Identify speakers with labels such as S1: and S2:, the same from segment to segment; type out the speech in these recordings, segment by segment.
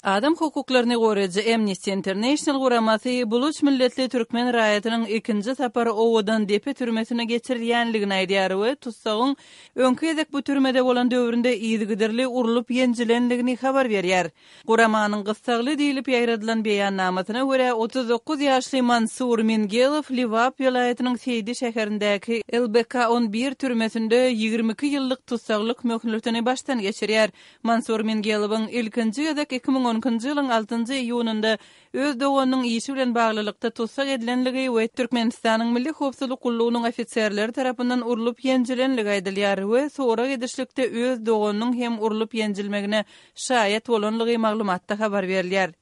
S1: Adam hukuklaryny goraýjy Amnesty International guramasy buluç milletli türkmen raýatynyň ikinji sapar Owadandepe türmesine geçirilýänligini aýdýar we tussagyň öňki gezek bu türmede bolan döwründe yzygiderli urlup-ýenjilenligini habar berýär. Guramanyň gyssagly diýlip ýaýradylan beýannamasyna görä, 39 ýaşly Mansur Mingelow Lebap welaýatynyň Seýdi şäherindäki LBK 11 türmesinde 22 ýyllyk tussaglyk möhletini başdan geçirýär. Mansur Mingelowyň ilkinji gezek 2012-nji ýylyň altynjy iýunynda öz doganynyň işi bilen baglylykda tussag edilenligi we Türkmenistanyň Milli howpsuzlyk gullugynyň ofiserleri tarapyndan urlup-ýenjilenligi aýdylýar we sorag edişlikde öz doganynyň hem urlup-ýenjilmegine şaýat bolanlygy maglumatda habar berilýär.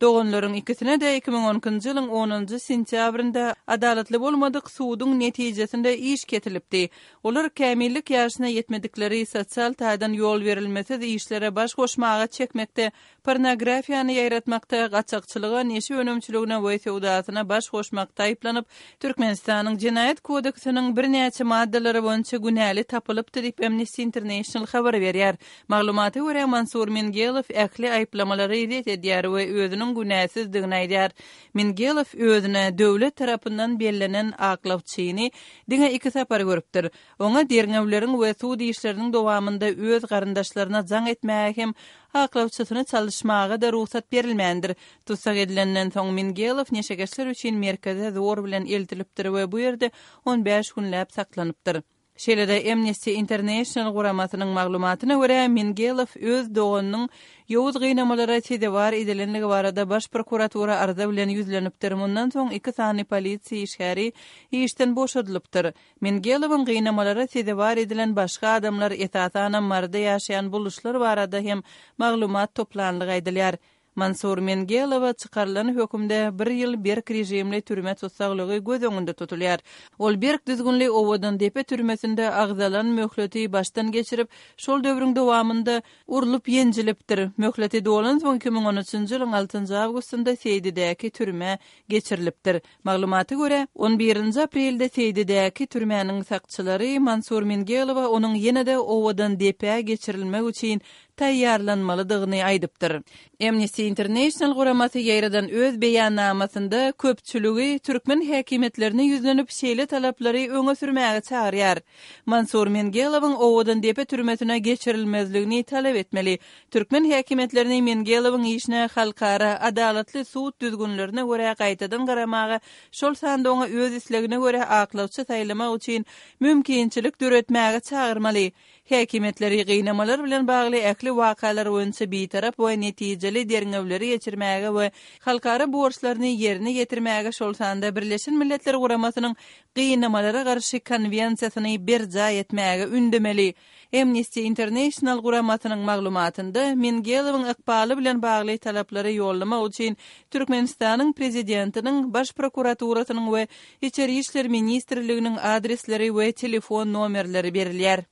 S1: Doganlaryň ikisine-de 2012-nji ýylyň onunjy sentýabrynda adalatly bolmadyk suduň netijesinde iş kesilipdi. Olar kämillik ýaşyna ýetmedikleri sosial taýdan ýol berilmesiz işlere baş goşmaga çekmekde, pornografiýany ýaýratmakda, gaçakçylyga, neşe önümçiligine we söwdasyna baş goşmakda aýyplanyp, Türkmenistanyň Jenaýat kodeksiniň birnäçe maddalary boýunça günäli tapylypdy diýip, Amnesty International habar berýär. Maglumata görä, Mansur Mingelow ähli aýyplamalary ret edýär we özüniň günäsizdigini aýdýar. Mingelow özüne döwlet tarapyndan bellenen aklawçyny diňe iki sapar görüpdir. Oňa derňewleriň we sud işleriniň dowamynda öz garyndaşlaryna jaň etmäge hem aklawçysyny çalyşmaga-da rugsat berilmändir. Tussag edilenden soň Mingelow neşekeşler üçin merkeze zor bilen eltilipdir we bu ýerde on bäş günläp saklanypdyr. Şeýle-de Amnesty International guramasynyň maglumatyna görä, Mingelow öz doganynyň ýowuz gynamalara sezewar edilenligi barada Baş prokuratura arza bilen ýüzlenipdir, mundan soň iki sany polisiýa işgäri işden boşadylypdyr. Mingelowyň gynamalara sezewar edilen başga adamlar, esasanam Maryda ýaşaýan buluşlar barada hem maglumat toplanlygy aýdylýar. Mansur Mengelowa çykarylan hökümde bir ýyl berk režimli türme tussaglygy göz öňünde tutulýar. Ol berk düzgünli Owadandepe türmesinde agzalan möhleti başdan geçirip, şol döwrüň dowamynda urlup-ýenjilipdir. Möhleti dolansoň 2013-nji ýylyň altynjy awgustynda Seýdidäki türmä geçirilipdir. Maglumata görä, on birinji aprelde Seýdidäki türmäniň sakçylary Mansur Mengelowa onuň ýene-de Owadandepä geçirilmek üçin taýýarlanmalydygyny aýdypdyr. Amnesty International guramasy ýaýradan öz beýannamasynda köpçüligi türkmen häkimiýetlerine ýüzlenip şeýle talaplary öňe sürmäge çagyrýar, Mansur Mengelowyň Owadandepe türmesine geçirilmezligini talap etmeli, türkmen häkimiýetlerini Mengelowyň işine halkara adalatly sud düzgünlerine görä gaýtadan garamaga, şol sanda oňa öz islegine görä aklawçy saýlamak üçin mümkinçilik döretmäge çagyrmaly. Häkimiýetleri gynamalar bilen bagly ähli wakalar boýunça bitarap we netijeli derňewleri geçirmäge we halkara borçlaryny ýerine ýetirmäge, şol sanda Birleşen Milletler Guramasynyň Gynamalara garşy konwensiýasyny berjaý etmäge ündemeli. Amnesty International guramasynyň maglumatynda Mingelowyň ykbaly bilen bagly talaplary ýollamak üçin Türkmenistanyň Prezidentiniň, Baş prokuraturasynyň we Içeri işler ministrliginiň adresleri we telefon nomerleri berilýär.